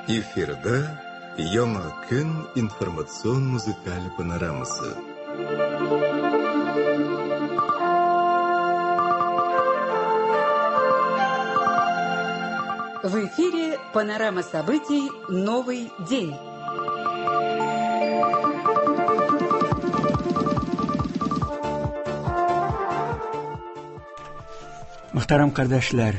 Эфирда Яңа көн информацион музыкаль панорамасы. В эфире панорама событий «Новый день». Мөхтәрәм кардәшләр,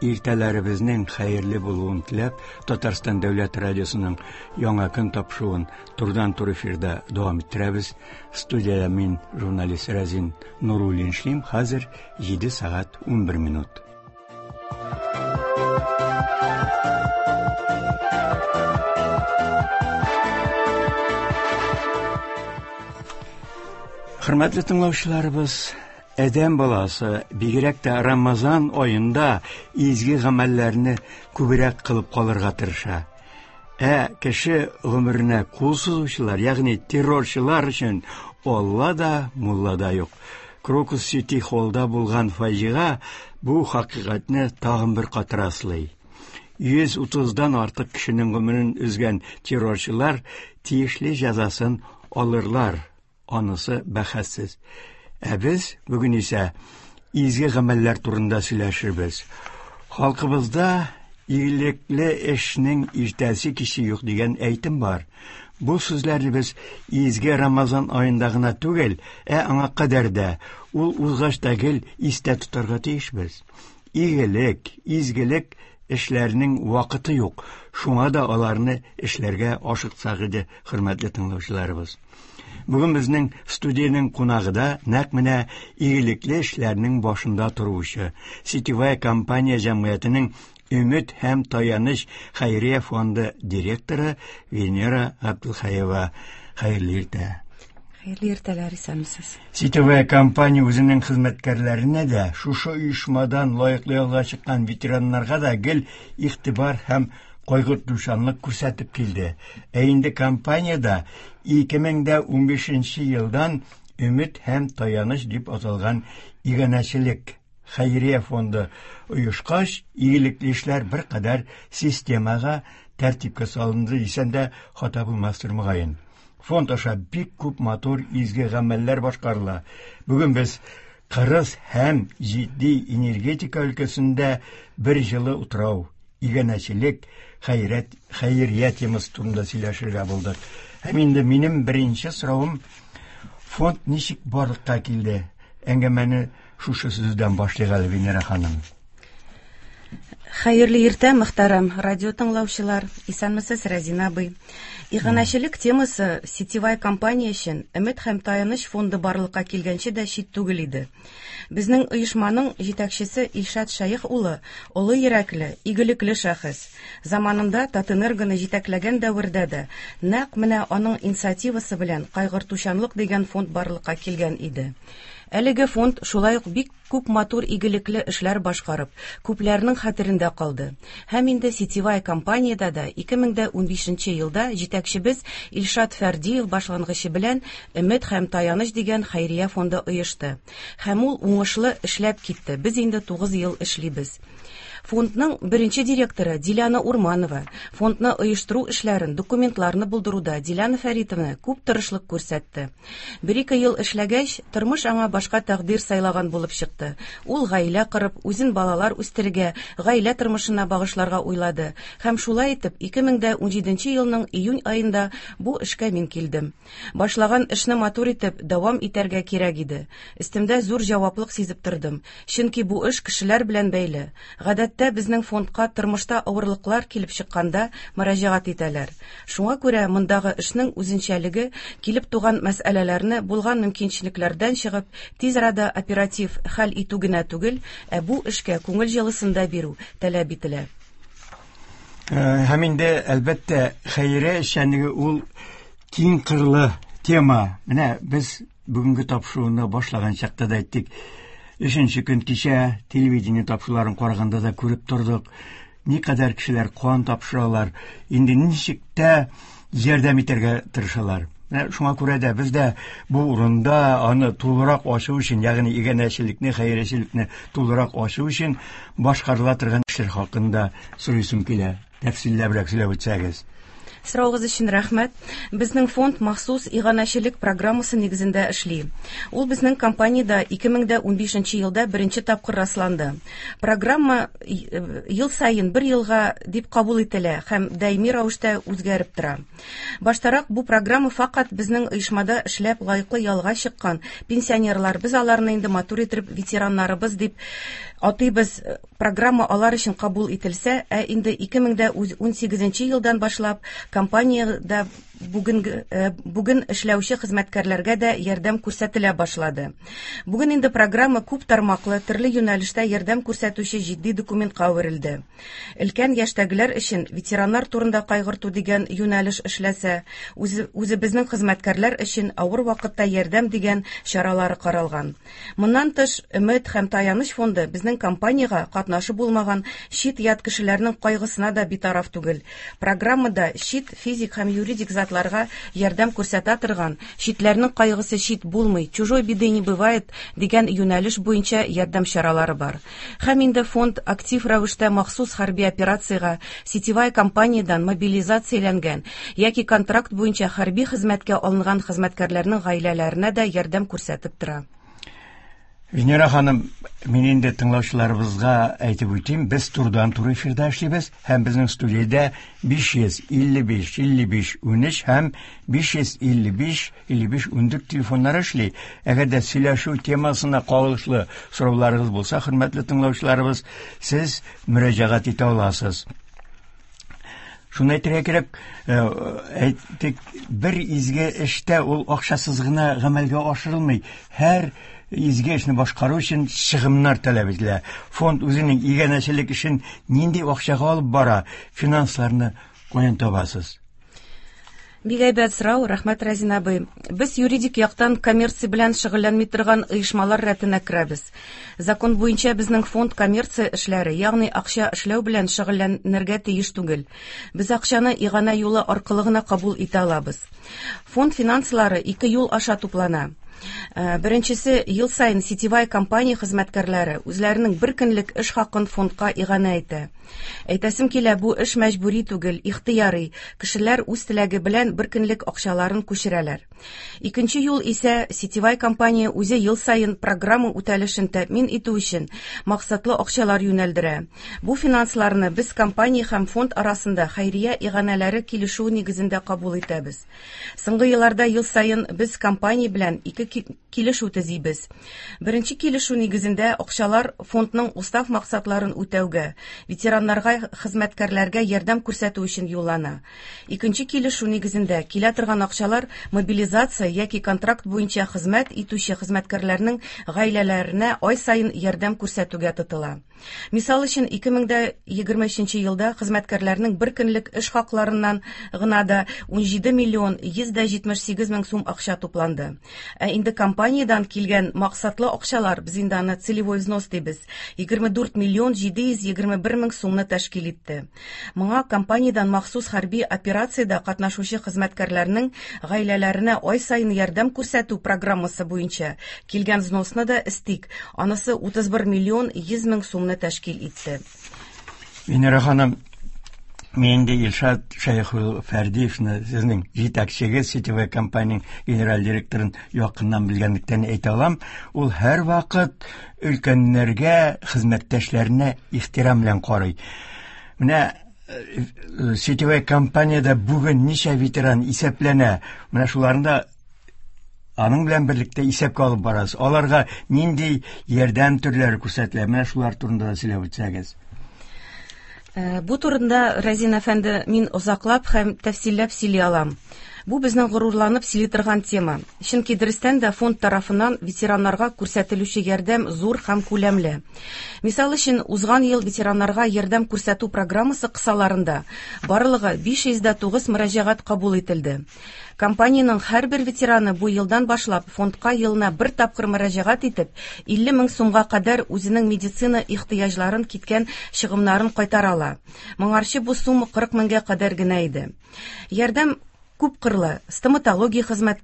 иртәләребезнең хәерле булуын теләп, Татарстан дәүләт радиосының Яңа көн тапшыруын турыдан-туры эфирда дәвам иттерәбез. Студиядә мин, журналист Рәзин Нуруллин эшлим. Хәзер 7 сәгать 11 минут. Хөрмәтле тыңлаучыларыбыз, адәм баласы бигрәк тә Рамазан аенда изге гамәлләрне күбрәк кылып калырга тырыша. Ә кеше гомеренә кул сузучылар, ягъни террорчылар өчен Алла да, мулла да юк. Крокус Сити холлда булган фаҗига бу хакыйкатьне тагын бер кат раслый. 130-дан артык кешенең гомерен өзгән террорчылар тиешле җәзасын алырлар. Анысы бәхәссез. Ә без бүген исә изге гамәлләр турында сөйләшербез. Халкыбызда игелекле эшнең иртәсе киче юк дигән әйтем бар. Бу сүзләрне без изге Рамазан аенда гына түгел, ә аңа кадәр дә, ул узгач та гел истә тотарга тиешбез. Игелек, изгелек эшләренең вакыты юк. Шуңа да аларны эшләргә ашыксак иде, хөрмәтле тыңлаучыларыбыз. Бүген безнең студиянең кунагы да нәкъ менә игелекле эшләрнең башында торучы Сетевая компания җәмгыятенең Өмет һәм таяныч хәйрия фонды директоры Венера Габделхәева. Хәерле иртә. Хәерле иртәләр, исәнмесез. Сетевая компания үзенең хезмәткәрләренә дә, шушы оешмадан лаеклы ялга чыккан ветераннарга да гел игътибар һәм кайгыртучанлык күрсәтеп килде. Ә инде компаниядә 2015 елдан Өмет һәм таяныч дип аталган иганәчелек хәйрия фонды оешкач, игелекле эшләр беркадәр системага, тәртипкә салынды дисәм дә хата булмастыр мөгаен. Фонд аша бик күп матур изге гамәлләр башкарыла. Бүген без кырыс һәм җитди энергетика өлкәсендә бер җылы утрау, иганәчелек, хәйрәт, хәйрия темасы турында сөйләшергә булдык. Һәм инде минем беренче соравым, фонд ничек барлыкка килде? Әңгәмәне шушы сүздән башлыйк әле, Венера ханым. Хәерле иртә, мөхтәрәм радио тыңлаучылар. Исәнмесез, Рәзин абый. Иганәчелек темасы сетевая компания өчен Өмет һәм таяныч фонды барлыкка килгәнче дә чит түгел иде. Безнең оешманың җитәкчесе Илшат Шәех улы олы йөрәкле, игелекле шәхес. Заманында Татэнергоны җитәкләгән дәвердә дә нәкъ менә аның инициативасы белән Кайгыртучанлык дигән фонд барлыкка килгән иде. Әлеге фонд шулай ук бик күп матур игелекле эшләр башкарып, күпләрнең хәтерендә калды. Һәм инде сетевая компаниядә дә 2015 елда җитәкчебез Илшат Фәрдиев башлангычы белән Өмет һәм таяныч дигән хәйрия фонды оешты. Һәм ул уңышлы эшләп китте. Без инде 9 ел эшлибез. Фондның беренче директоры Диляна Урманова фондны оештыру эшләрен, документларны булдыруда Диляна Фәритовна күп тырышлык күрсәтте. Бер-ике ел эшләгәч, тормыш аңа башка тәкъдир сайлаган булып чыкты. Ул гаилә корып, үзен балалар үстерергә, гаилә тормышына багышларга уйлады. Һәм шулай итеп, 2017 елның июнь аенда бу эшкә мин килдем. Башлаган эшне матур итеп, дәвам итәргә кирәк иде. Өстемдә зур җаваплык сизеп тордым. Чөнки бу эш кешеләр белән бәйле. Гадәттә безнең фондка тормышта авырлыклар килеп чыкканда мөрәҗәгать итәләр. Шуңа күрә мондагы эшнең үзенчәлеге килеп туган мәсьәләләрне булган мөмкинчелекләрдән чыгып, тиз арада оператив хәл итү генә түгел, ә бу эшкә күңел җылысын да бирү таләп ителә. Һәм инде, әлбәттә, хәйрия эшчәнлеге ул киң кырлы тема. Менә без бүгенге тапшыруны башлаган чакта да әйттек. Өченче көн кичә телевидение тапшыруларын караганда да күреп тордык. Никадәр кешеләр кан тапшыралар, инде ничек тә ярдәм итәргә тырышалар. Менә шуңа күрә дә без дә бу урында аны тулырак ачу өчен, ягъни иганәчелекне, хәйриячелекне тулырак ачу өчен башкарыла торган эшләр хакында сорыйсым килә. Тәфсилләбрәк сөйләп үтсәгез. Сорауыгыз өчен рәхмәт. Безнең фонд махсус иганәчелек программасы нигезендә эшли. Ул безнең компаниядә 2015 елда беренче тапкыр расланды. Программа ел саен бер елга дип кабул ителә һәм даими рәвештә үзгәреп тора. Баштарак бу программа факат безнең оешмада эшләп лаеклы ялга чыккан пенсионерлар, без аларны инде матур итеп ветераннарыбыз дип атыйбыз. Программа алар өчен кабул ителсә, ә инде 2018 елдан башлап компаниядә бүген эшләүче хезмәткәрләргә дә ярдәм күрсәтелә башлады. Бүген инде программа күп тармаклы, төрле юнәлештә ярдәм күрсәтүче җитди документка әверелде. Өлкән яшьтәгеләр өчен ветераннар турында кайгырту дигән юнәлеш эшләсә, үзебезнең хезмәткәрләр өчен авыр вакытта ярдәм дигән чаралары каралган. Моннан тыш, Өмет һәм таяныч фонды безнең компаниягә катнашы булмаган чит-ят кешеләрнең кайгысына да битараф түгел. Программада чит физик һәм юридик затларга ярдәм күрсәтә торган, читләрнең кайгысы чит булмый, чужой беды не бывает дигән юнәлеш буенча ярдәм чаралары бар. Һәм инде фонд актив рәвештә махсус хәрби операциягә сетевая компаниядән мобилизацияләнгән яки контракт буенча хәрби хезмәткә алынган хезмәткәрләрнең гаиләләренә дә ярдәм күрсәтеп тора. Венера ханым, мин инде тыңлаучыларыбызга әйтеп үтим, без турыдан-туры эфирда эшлибез һәм безнең студиядә 555 55 13 һәм 555 55 14 телефоннары эшли. Әгәр дә сөйләшү темасына кагылышлы сорауларыгыз булса, хөрмәтле тыңлаучыларыбыз, сез мөрәҗәгать итә аласыз. Шуны әйтергә кирәк, әйтик, бер изге эштә ул акчасыз гына гамәлгә ашырылмый. Һәр изге эшне башкару өчен чыгымнар таләп ителә. Фонд үзенең иганәчелек эшен нинди акчага алып бара, финансларны каян табасыз? Бик әйбәт сорау, рәхмәт, Разин абый. Без юридик яктан коммерция белән шөгыльләнми торган оешмалар рәтенә керәбез. Закон буенча безнең фонд коммерция эшләре, ягъни акча эшләү белән шөгыльләнергә тиеш түгел. Без акчаны иганә юлы аркылы гына кабул итә алабыз. Фонд финанслары ике юл аша туплана. Беренчесе, ел саен сетевая компания хезмәткәрләре үзләренең бер көнлек эш хакын фондка иганә итә. Әйтәсем килә, бу эш мәҗбүри түгел, ихтыярый. Кешеләр үз теләге белән бер көнлек акчаларын күчерәләр. Икенче юл исә, сетевая компания үзе ел саен программа үтәлешен тәэмин итү өчен максатлы акчалар юнәлдерә. Бу финансларны без компания һәм фонд арасында хәйрия иганәләре килешүе нигезендә кабул итәбез. Соңгы елларда ел саен без компания белән ике килешү төзибез. Беренче килешү нигезендә акчалар фондның устав максатларын үтәүгә, ветераннарга, хезмәткәрләргә ярдәм күрсәтү өчен юллана. Икенче килешү нигезендә килә торган акчалар мобилизация яки контракт буенча хезмәт итүче хезмәткәрләрнең гаиләләренә ай саен ярдәм күрсәтүгә тотыла. Мисал өчен, 2023 елда хезмәткәрләрнең бер көнлек эш хакларыннан гына да 17 миллион 178 мең сум акча тупланды. Ә инде компаниядән килгән максатлы акчалар, без инде аны целевой взнос дибез, 24 миллион 721 мең сумны тәшкил итте. Моңа компаниядән махсус хәрби операциядә катнашучы хезмәткәрләрнең гаиләләренә ай саен ярдәм күрсәтү программасы буенча килгән взносны да өстик. Анысы 31 миллион 100 мең сумны тәшкил итте. Венера ханым, мин инде Илшат Шәйхул Фәрдиевны, сезнең җитәкчегез, сетевой компания генераль директорын якыннан белгәнлектән әйтә алам, ул һәрвакыт өлкәннәргә, хезмәттәшләренә ихтирам белән карый. Менә сетевой компаниядә бүген ничә ветеран исәпләнә? Менә шуларны да аның белән берлектә исәпкә алып барасыз. Аларга нинди ярдәм төрләре күрсәтелә? Менә шулар турында да сөйләп үтсәгез. Бу турында, Разин әфәнде, мин озаклап һәм тәфсилләп сөйли алам. Бу безнең горурланып сөйли торган тема. Чөнки дөрестән дә фонд тарафыннан ветераннарга күрсәтелүче ярдәм зур һәм күләмле. Мисал өчен, узган ел ветераннарга ярдәм күрсәтү программасы кысаларында барлыгы 509 мөрәҗәгать кабул ителде. Компаниянең һәрбер ветераны бу елдан башлап фондка елына бер тапкыр мөрәҗәгать итеп, 50 мең сумга кадәр үзенең медицина ихтыяҗларын киткән чыгымнарын кайтара ала. Моңарчы бу сумма 40 меңгә кадәр генә иде. Ярдәм Күпкырлы стоматология хезмәт,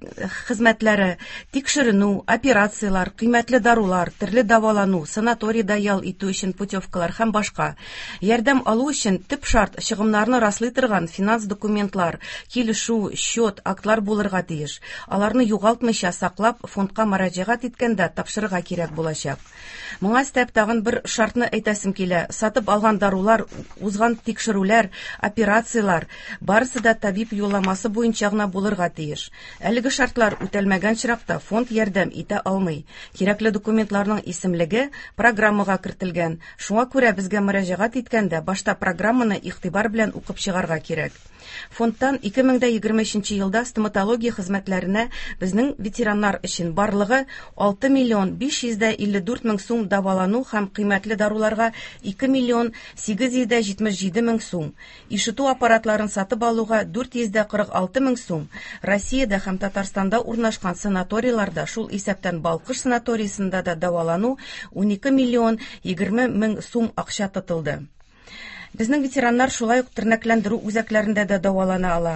хезмәтләре, тикшеренү, операцияләр, кыйммәтле дарулар, төрле дәвалану, санаторийда ял итү өчен путевкалар һәм башка. Ярдәм алу өчен төп шарт чыгымнарны раслый торган финанс документлар, килешү, счет, актлар булырга тиеш. Аларны югалтмыйча саклап, фондка мөрәҗәгать иткәндә тапшырырга кирәк булачак. Моңа өстәп тагын бер шартны әйтәсем килә. Сатып алган дарулар, узган тикшерүләр, операцияләр барысы да табиб юлламасы буенча гына булырга тиеш. Әлеге шартлар үтәлмәгән очракта фонд ярдәм итә алмый. Кирәкле документларның исемлеге программага кертелгән. Шуңа күрә безгә мөрәҗәгать иткәндә башта программаны игътибар белән укып чыгарга кирәк. Фондтан 2023 елда стоматология хезмәтләренә безнең ветераннар өчен барлыгы 6 миллион 554 мең сум дәвалану һәм кыйммәтле даруларга 2 миллион 877 мең сум, ишетү аппаратларын сатып алуга 446 мең сум, Россиядә һәм Татарстанда урнашкан санаторийларда, шул исәптән Балкыш санаториясендә дә дәвалану 12 миллион 20 мең сум акча тотылды. Безнең ветераннар шулай ук тернәкләндерү үзәкләрендә дә дәвалана ала.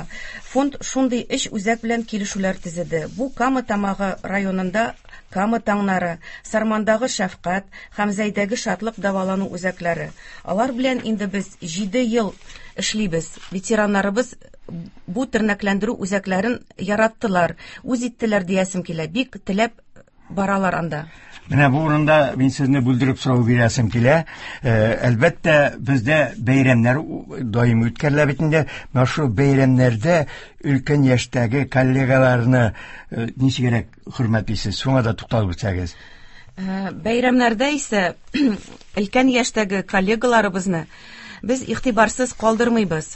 Фонд шундый өч үзәк белән килешүләр төзеде. Бу Кама Тамагы районында Кама таңнары, Сармандагы Шәфкать һәм Зәйдәге Шатлык дәвалану үзәкләре. Алар белән инде без 7 ел эшлибез. Ветераннарыбыз бу тернәкләндерү үзәкләрен яраттылар, үз иттеләр диясем килә. Бик теләп баралар анда. Менә бу урында мин сезне бүлдереп сорау бирәсем килә. Э, әлбәттә, бездә бәйрәмнәр даими үткәрелә бит инде. Менә шул бәйрәмнәрдә өлкән яшьтәге коллегаларны э, ничегрәк хөрмәтлисез? Шуңа да тукталып үтсәгез. Э, бәйрәмнәрдә исә өлкән яшьтәге коллегаларыбызны без игътибарсыз калдырмыйбыз.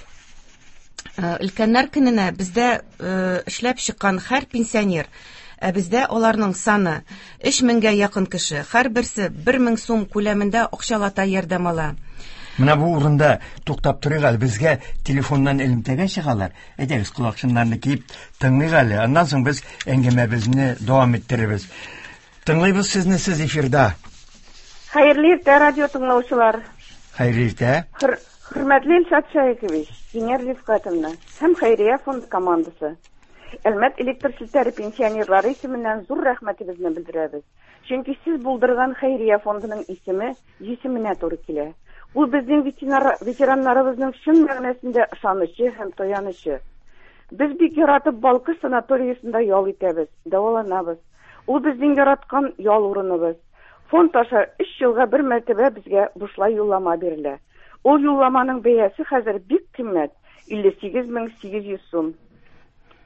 Өлкәннәр көненә бездә эшләп чыккан һәр пенсионер, ә бездә аларның саны 3000гә якын кеше, һәрберсе 1000 сум күләмендә акчалата ярдәм ала. Менә бу урында туктап торыйк әле, безгә телефоннан элемтәгә чыгалар. Әйдәгез, колакчыннарны киеп тыңлыйк әле. Аннан соң без әңгәмәбезне дәвам иттерербез. Тыңлыйбыз сезне, сез эфирда. Хәерле иртә, радио тыңлаучылар. Хәерле иртә. Хөр хөрмәтле Илшат Шәехович, Венера Рифкатовна һәм Хәйрия фонды командасы. Әлмәт электр челтәре пенсионерлары исеменнән зур рәхмәтебезне белдерәбез. Чөнки сез булдырган Хәйрия фондының исеме җисеменә туры килә. Ул безнең ветераннарыбызның чын мәгънәсендә ышанычы һәм таянычы. Без бик яратып Балкыш санаториясендә ял итәбез, дәваланабыз. Ул безнең яраткан ял урыныбыз. Фонд аша өч елга бер мәртәбә безгә бушлай юллама бирелә. Ул юлламаның бәясе хәзер бик кыйммәт, 58 800 сум.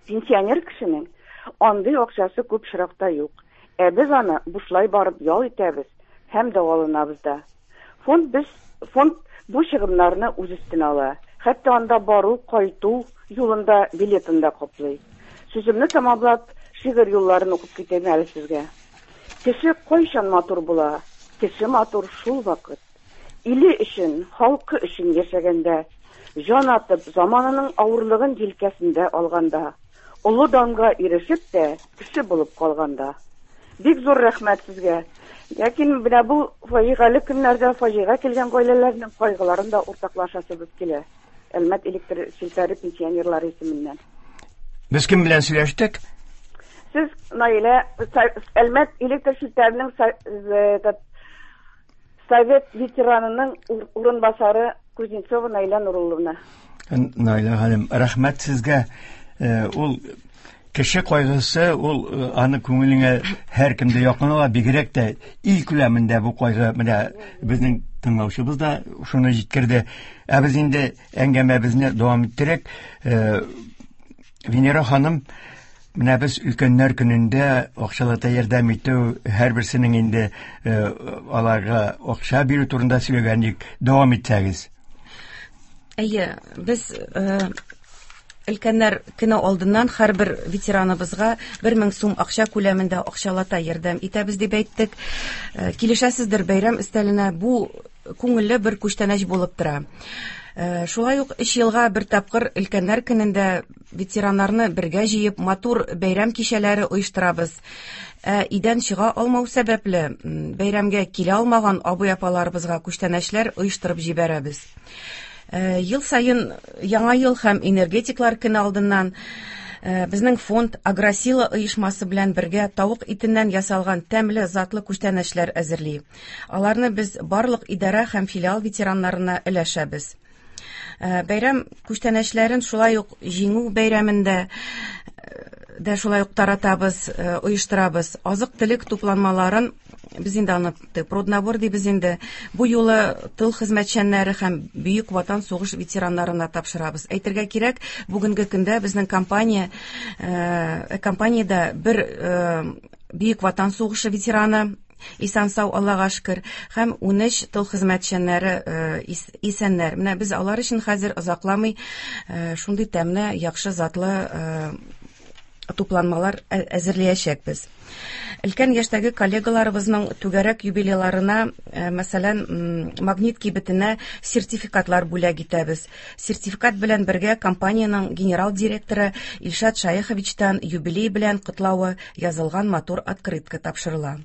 Пенсионер кешенең андый акчасы күп очракта юк. Ә без аны бушлай барып ял итәбез һәм дәваланабыз да. Фонд без фонд бу чыгымнарны үз өстенә ала. Хәтта анда бару, кайту юлында билетын да каплый. Сүземне тәмамлап, шигырь юлларын укып китәм әле сезгә. Кеше кайчан матур була? Кеше матур шул вакыт. Иле өчен, халкы өчен яшәгәндә, җан атып, заманының авырлыгын җилкәсендә алганда, олы данга ирешеп тә, кеше булып калганда. Бик зур рәхмәт сезгә. Ләкин менә бу фаҗигале көннәрдә фаҗига килгән гаиләләрнең кайгыларын да уртаклашасыбыз килә. Әлмәт электр челтәре пенсионерлары исеменнән. Без кем белән сөйләштек? Сез Наилә Әлмәт электр челтәренең Совет ветеранының урынбасары Кузнецова Наилә Нурулловна. Наилә ханым, рәхмәт сезгә. Э, ул кеше кайгысы, ул э, аны күңелеңә һәркем дә якын ала, бигрәк тә ил күләмендә бу кайгы менә безнең тыңлаучыбыз да шуны җиткерде. Ә без инде әңгәмәбезне дәвам иттерик. Э, Венера ханым, менә без өлкәннәр көнендә акчалата ярдәм итү, һәрберсенең инде э, аларга акча бирү турында сөйләгән идек. Дәвам итсәгез. Әйе, без э, өлкәннәр көне алдыннан һәрбер ветераныбызга 1000 сум акча күләмендә акчалата ярдәм итәбез дип әйттек. Э, килешәсездер, бәйрәм өстәленә бу күңелле бер күчтәнәч булып тора. Э, шулай ук өч елга бер тапкыр өлкәннәр көнендә ветераннарны бергә җыеп, матур бәйрәм кичәләре оештырабыз. Ә өйдән чыга алмау сәбәпле, бәйрәмгә килә алмаган абый-апаларыбызга күчтәнәчләр оештырып җибәрәбез. Э, ел саен Яңа ел һәм энергетиклар көне алдыннан Безнең фонд Агросила оешмасы белән бергә тавык итеннән ясалган тәмле затлы күчтәнәчләр әзерли. Аларны без барлык идарә һәм филиал ветераннарына өләшәбез. Бәйрәм күчтәнәчләрен шулай ук Җиңү бәйрәмендә дә шулай ук таратабыз, оештырабыз. Азык-төлек тупланмаларын без инде аны проднабор дибез инде. Бу юлы тыл хезмәтчәннәре һәм Бөек Ватан сугыш ветераннарына тапшырабыз. Әйтергә кирәк, бүгенге көндә безнең компания компаниядә бер Бөек Ватан сугышы ветераны исән-сау, Аллага шөкер, һәм 13 тыл хезмәтчәннәре исәннәр. Менә без алар өчен хәзер озакламый шундый тәмле, яхшы затлы тупланмалар әзерләячәкбез. Өлкән яшьтәге коллегаларыбызның түгәрәк юбилейларына, мәсәлән, Магнит кибетенә сертификатлар бүләк итәбез. Сертификат белән бергә компаниянең генерал директоры Илшат Шаеховичтан юбилей белән котлавы язылган матур открытка тапшырыла.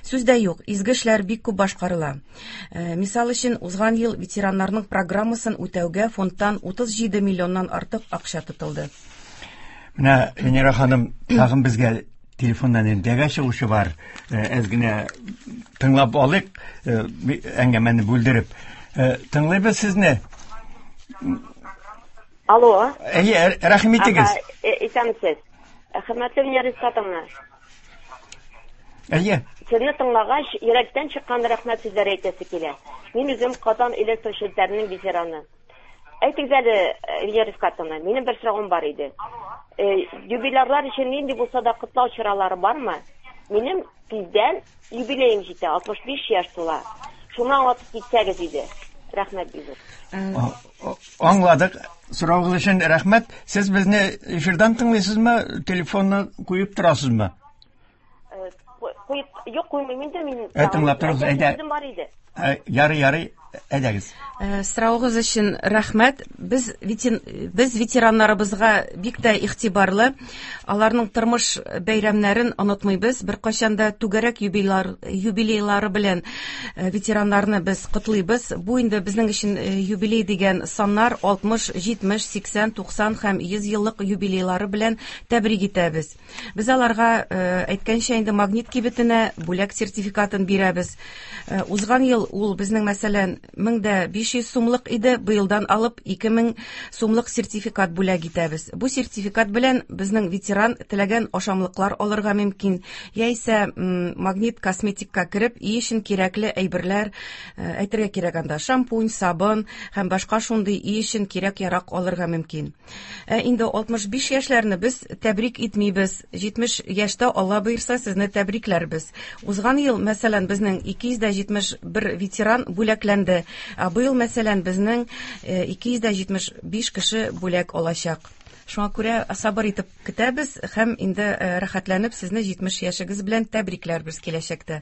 Сүз дә юк, изге эшләр бик күп башкарыла. Мисал өчен, узган ел ветераннарның программасын үтәүгә фондтан 37 миллионнан артык акча тотылды. Менә Венера ханым, тагын безгә телефоннан элемтәгә чыгучы бар. Әз генә тыңлап алыйк, әңгәмәне бүлдереп. Тыңлыйбыз сезне. Алло. Әйе, рәхим итегез. Исәнмесез. Хөрмәтле Венера Исхатовна. Әйе. Сезне тыңлагач, йөрәктән чыккан рәхмәт сүзләре әйтәсе килә. Мин үзем Казан электр челтәренең ветераны. Әйтегез әле, Венера Рифкатовна, минем бер соравым бар иде. Юбилярлар өчен нинди булса да котлау чаралары бармы? Минем тиздән юбилеем җитә, 65 яшь тула. Шуны аңлатып китсәгез иде. Рәхмәт бик зур. Аңладык. Соравыгыз өчен рәхмәт. Сез безне эфирдан тыңлыйсызмы, телефонны куеп торасызмы? Куеп, юк, куймыйм инде мин. Ә, тыңлап торыгыз, әйдә. Сүзем бар иде. Ярый, ярый, әйдәгез. Соравыгыз өчен рәхмәт. Без без ветераннарыбызга бик тә игътибарлы. Аларның тормыш бәйрәмнәрен онытмыйбыз. Беркайчан да түгәрәк юбилар, юбилейлары белән ветераннарны без котлыйбыз. Бу инде безнең өчен юбилей дигән саннар 60, 70, 80, 90 һәм 100 еллык юбилейлары белән тәбрик итәбез. Без аларга, әйткәнчә инде, Магнит кибетенә бүләк сертификатын бирәбез. Узган ел ул безнең, мәсәлән, 1500 сумлык иде, быелдан алып 2000 сумлык сертификат бүләк итәбез. Бу сертификат белән безнең ветеран теләгән ашамлыклар алырга мөмкин, яисә Магнит косметикка кереп, өй өчен кирәкле әйберләр, әйтергә кирәк анда шампунь, сабын һәм башка шундый өй өчен кирәк-ярак алырга мөмкин. Ә инде 65 яшьләрне без тәбрик итмибез. 70 яшьтә Алла боерса сезне тәбрикләрбез. Узган ел, мәсәлән, безнең 271 ветеран бүләкләнде. Ә быел, мәсәлән, безнең 275 кеше бүләк алачак. Шуңа күрә сабыр итеп көтәбез һәм инде рәхәтләнеп сезне 70 яшегез белән тәбрикләрбез киләчәктә.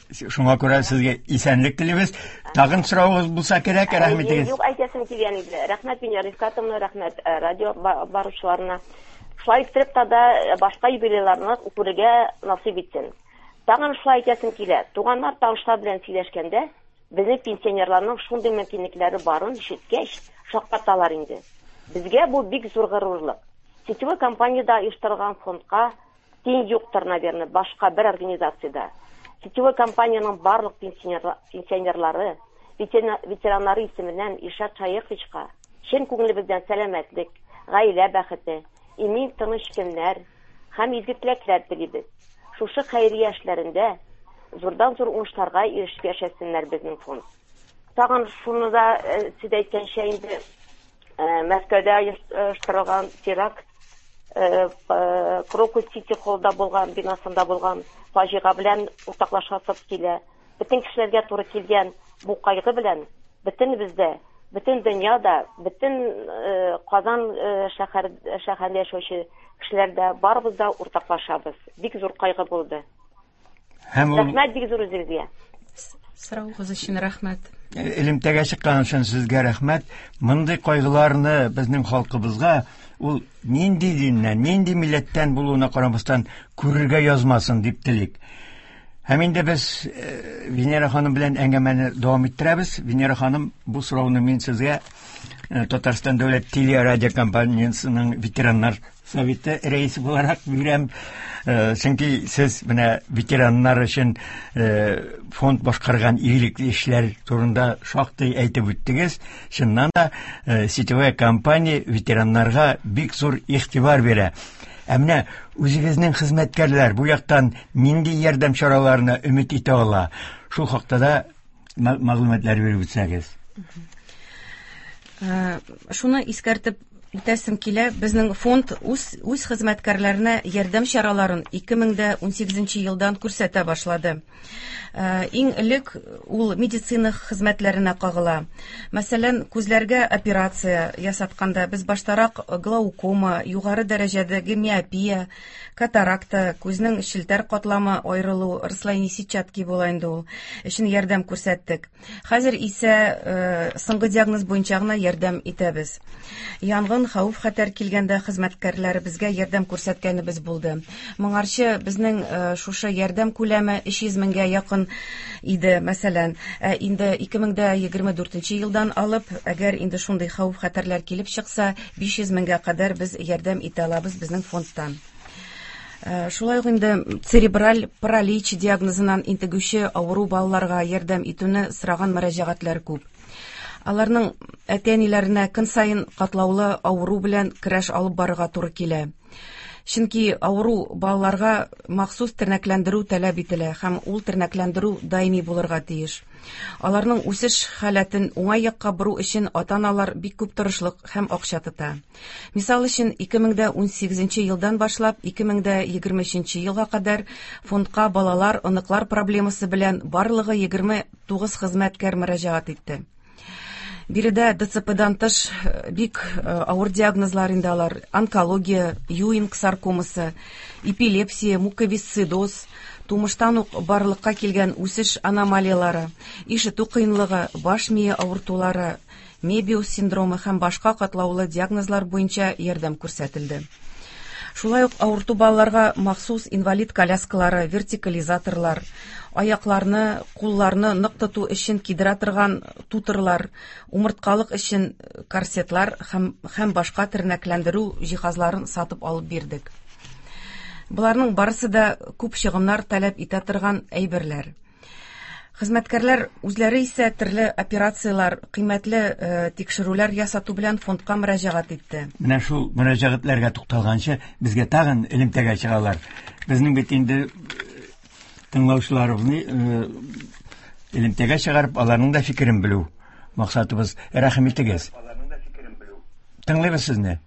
Шуңа күрә сезгә исәнлек телибез. Тагын соравыгыз булса кирәк, рәхим итегез. Юк, әйтәсем килгән иде. Рәхмәт Венера Рифкатовна, рәхмәт радио баручыларына. Шулай иттереп тә башка юбилейларны күрергә насыйп итсен. Тагын шулай әйтәсем килә. Туганнар, танышлар белән сөйләшкәндә, безнең пенсионерларның шундый мөмкинлекләре барын ишеткәч, шаккаталар инде. Безгә бу бик зур горурлык. Сетевой компаниядә оештырылган фондка тиң юктыр, наверное, башка бер организациядә. Сетевой компаниянең барлык пенсионерлары, ветераннары исеменнән Илшат Шаеховичка чын күңелебездән сәламәтлек, гаилә бәхете, имин тыныч көннәр һәм изге теләкләр телибез. Шушы хәйрия эшләрендә зурдан-зур уңышларга ирешеп яшәсеннәр безнең фонд. Тагын шуны да сез әйткәнчә инде, Мәскәүдә оештырылган теракт, Крокус Сити Холлда булган, бинасында булган фаҗига белән уртаклашасыбыз килә. Бөтен кешеләргә туры килгән бу кайгы белән бөтенебез дә, бөтен дөнья да, бөтен Казан шәһәр шәһәрендә яшәүче кешеләр дә барыбыз да уртаклашабыз. Бик зур кайгы булды. Һәм ул Рәхмәт бик зур үзегезгә. Соравыгыз өчен рәхмәт. Элемтәгә чыккан өчен сезгә рәхмәт. Мондый кайгыларны безнең халкыбызга ул нинди диннән, нинди милләттән булуына карамастан күрергә язмасын дип телик. Һәм инде без э, Венера ханым белән әңгәмәне дәвам иттерәбез. Венера ханым, бу сорауны мин сезгә э, Татарстан дәүләт телерадиокомпаниясенең ветераннар советы рәисе буларак бирәм. Чөнки сез менә ветераннар өчен фонд башкарган игелекле эшләр турында шактый әйтеп үттегез. Чыннан да, сетевая компания ветераннарга бик зур игътибар бирә. Ә менә үзегезнең хезмәткәрләр бу яктан нинди ярдәм чараларына өмет итә ала? Шул хакта да мәгълүматлар биреп үтсәгез. Шуны искәртеп үтәсем килә, безнең фонд үз хезмәткәрләренә ярдәм чараларын 2018 елдан күрсәтә башлады. Иң элек ул медицина хезмәтләренә кагыла. Мәсәлән, күзләргә операция ясатканда без баштарак глаукома, югары дәрәҗәдәге миопия, катаракта, күзнең челтәр катламы аерылу, расслоение сетчатки була инде ул, өчен ярдәм күрсәттек. Хәзер исә соңгы диагноз буенча гына ярдәм итәбез. Янгын, хәвеф-хәтәр килгәндә хезмәткәрләребезгә ярдәм күрсәткәнебез булды. Моңарчы безнең шушы ярдәм күләме 300 меңгә якын иде, мәсәлән. Инде 2024 елдан алып, әгәр инде шундый хәвеф-хәтәрләр килеп чыкса, 500 меңгә кадәр без ярдәм итә алабыз безнең фондтан. Шулай ук инде церебраль паралич диагнозыннан интегүче авыру балаларга ярдәм итүне сораган мөрәҗәгатьләр күп. Аларның әти-әниләренә көн саен катлаулы авыру белән көрәш алып барырга туры килә. Чөнки авыру балаларга махсус тернәкләндерү таләп ителә һәм ул тернәкләндерү даими булырга тиеш. Аларның үсеш халәтен уңай якка бору өчен ата-аналар бик күп тырышлык һәм акча тота. Мисал өчен, 2018 елдан башлап 2023 елга кадәр фондка балалар, оныклар проблемасы белән барлыгы 29 хезмәткәр мөрәҗәгать итте. Биредә ДЦПдан тыш бик авыр диагнозлар инде алар: онкология, Юинг саркомасы, эпилепсия, муковисцидоз, тумыштан ук барлыкка килгән үсеш аномалиялары, ишетү кыенлыгы, баш мие авыртулары, Мебиус синдромы һәм башка катлаулы диагнозлар буенча ярдәм күрсәтелде. Шулай ук авырту балаларга махсус инвалид коляскалары, вертикализаторлар, аякларны, кулларны нык тоту өчен кидерә торган тутырлар, умырткалык өчен корсетлар һәм башка тернәкләндерү җиһазларын сатып алып бирдек. Боларның барысы да күп чыгымнар таләп итә торган әйберләр. Хезмәткәрләр үзләре исә төрле операцияләр, кыйммәтле тикшерүләр ясату белән фондка мөрәҗәгать итте. Менә шул мөрәҗәгатьләргә тукталганчы, безгә тагын элемтәгә чыгалар. Безнең бит инде тыңлаучыларыбызны элемтәгә чыгарып, аларның да фикерен белү максатыбыз. Рәхим итегез. Тыңлыйбыз сезне.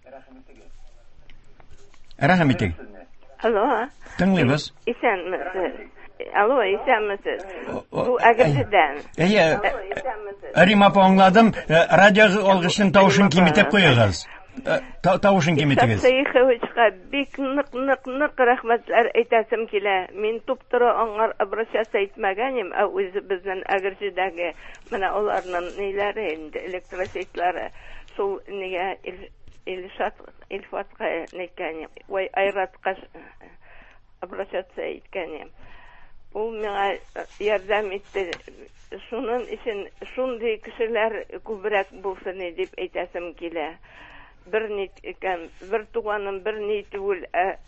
Рәхим итегез. Алло. Тыңлыйбыз. Исәнмесез. Алло, исәнмесез. Бу Әгерҗедән. Әйе. Рима апа, аңладым. Радио алгычның тавышын киметеп куегыз. Тавышын киметегез. Шәйховичка бик нык нык нык рәхмәтләр әйтәсем килә. Мин туп-туры аңар обращаться итмәгәнем, ә үзебезнең Әгерҗедәге менә аларның ниләре инде, электросетлары, шул нигә Илшат, Илфатка әйткәнем, ой, Айратка обращаться иткәнем. Ул миңа ярдәм итте. Шуның өчен шундый кешеләр күбрәк булсын дип әйтәсем килә. Бер ни икән, бер туганым бер ни түгел, ә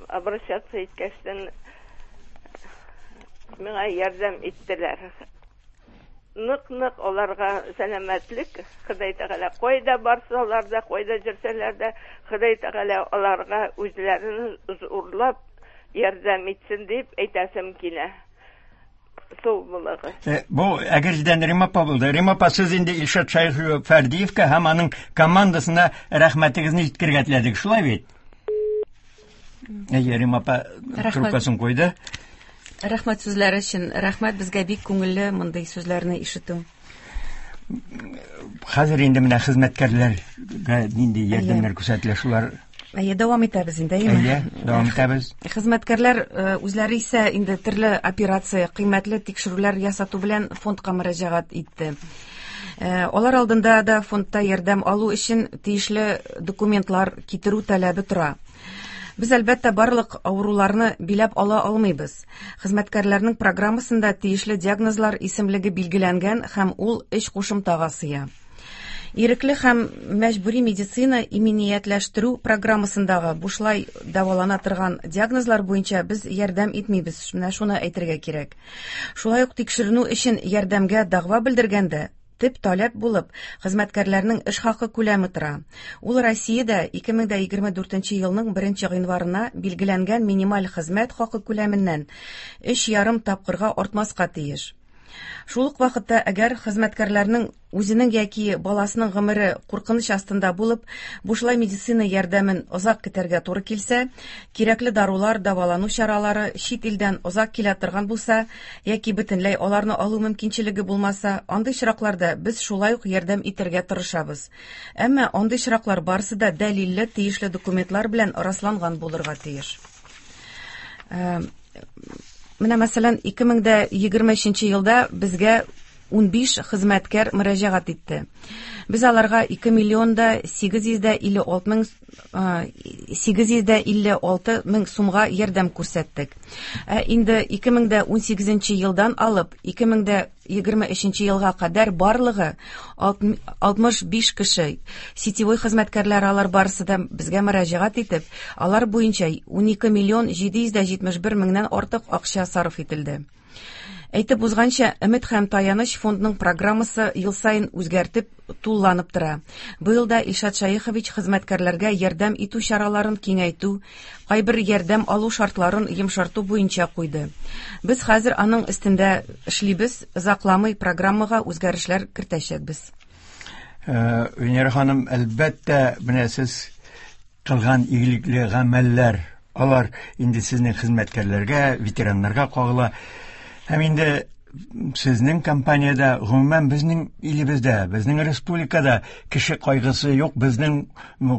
обращаться иткәчтен миңа ярдәм иттеләр. Нык-нык аларга сәламәтлек, Ходай Тәгалә кайда барсалар да, кайда йөрсәләр дә, Ходай Тәгалә аларга үзләрен зурлап ярдәм итсен дип әйтәсем килә. Сау булыгыз. Бу Әгерҗедән Рима апа булды. Рима апа, сез инде Илшат Шәйхов Фәрдиевка һәм аның командасына рәхмәтегезне җиткерергә теләдек, шулай бит? Әйе, Рима апа трубкасын куйды. Рәхмәт сүзләре өчен. Рәхмәт, безгә бик күңелле мондый сүзләрне ишетү. Хәзер инде менә хезмәткәрләргә нинди ярдәмнәр күрсәтелә, шулар. Әйе, дәвам итәбез инде, әйеме? Әйе, дәвам итәбез. Хезмәткәрләр үзләре исә инде төрле операция, кыйммәтле тикшерүләр ясату белән фондка мөрәҗәгать итте. Алар алдында да фондта ярдәм алу өчен тиешле документлар китерү таләбе тора. Без, әлбәттә, барлык авыруларны биләп ала алмыйбыз. Хезмәткәрләрнең программасында тиешле диагнозлар исемлеге билгеләнгән һәм ул өч кушымтага сыя. Ирекле һәм мәҗбүри медицина иминиятләштерү программасындагы бушлай дәвалана торган диагнозлар буенча без ярдәм итмибез. Менә шуны әйтергә кирәк. Шулай ук тикшеренү өчен ярдәмгә дәгъва белдергәндә төп таләп булып хезмәткәрләрнең эш хакы күләме тора. Ул Россиядә 2024 елның 1 гыйнварына билгеләнгән минималь хезмәт хакы күләменнән 3,5 тапкырга артмаска тиеш. Шул ук вакытта, әгәр хезмәткәрләрнең үзенең яки баласының гомере куркыныч астында булып, бушлай медицина ярдәмен озак көтәргә туры килсә, кирәкле дарулар, дәвалану чаралары чит илдән озак килә торган булса, яки бөтенләй аларны алу мөмкинчелеге булмаса, андый очракларда без шулай ук ярдәм итәргә тырышабыз. Әмма андый очраклар барысы да дәлилле, тиешле документлар белән расланган булырга тиеш. Менә мәсәлән, 2023 елда безгә 15 хезмәткәр мөрәҗәгать итте. Без аларга 2 миллион да 856 мең 856 мең сумга ярдәм күрсәттек. Ә инде 2018 елдан алып 2023 елга кадәр барлыгы 65 кеше сетевой хезмәткәрләр алар барысы да безгә мөрәҗәгать итеп, алар буенча 12 миллион 771 меңнән артык акча сарыф ителде. Әйтеп узганча, Өмет һәм таяныч фондның программасы ел саен үзгәртеп, тулланып тора. Быел да Илшат Шәехович хезмәткәрләргә ярдәм итү чараларын киңәйтү, кайбер ярдәм алу шартларын йомшарту буенча куйды. Без хәзер аның өстендә эшлибез, озакламый программага үзгәрешләр кертәчәкбез. Венера ханым, әлбәттә, менә сез кылган игелекле гамәлләр, алар инде сезнең хезмәткәрләргә, ветераннарга кагыла. Һәм инде сезнең компаниядә, гомумән безнең илебездә, безнең республикада кеше кайгысы юк, безнең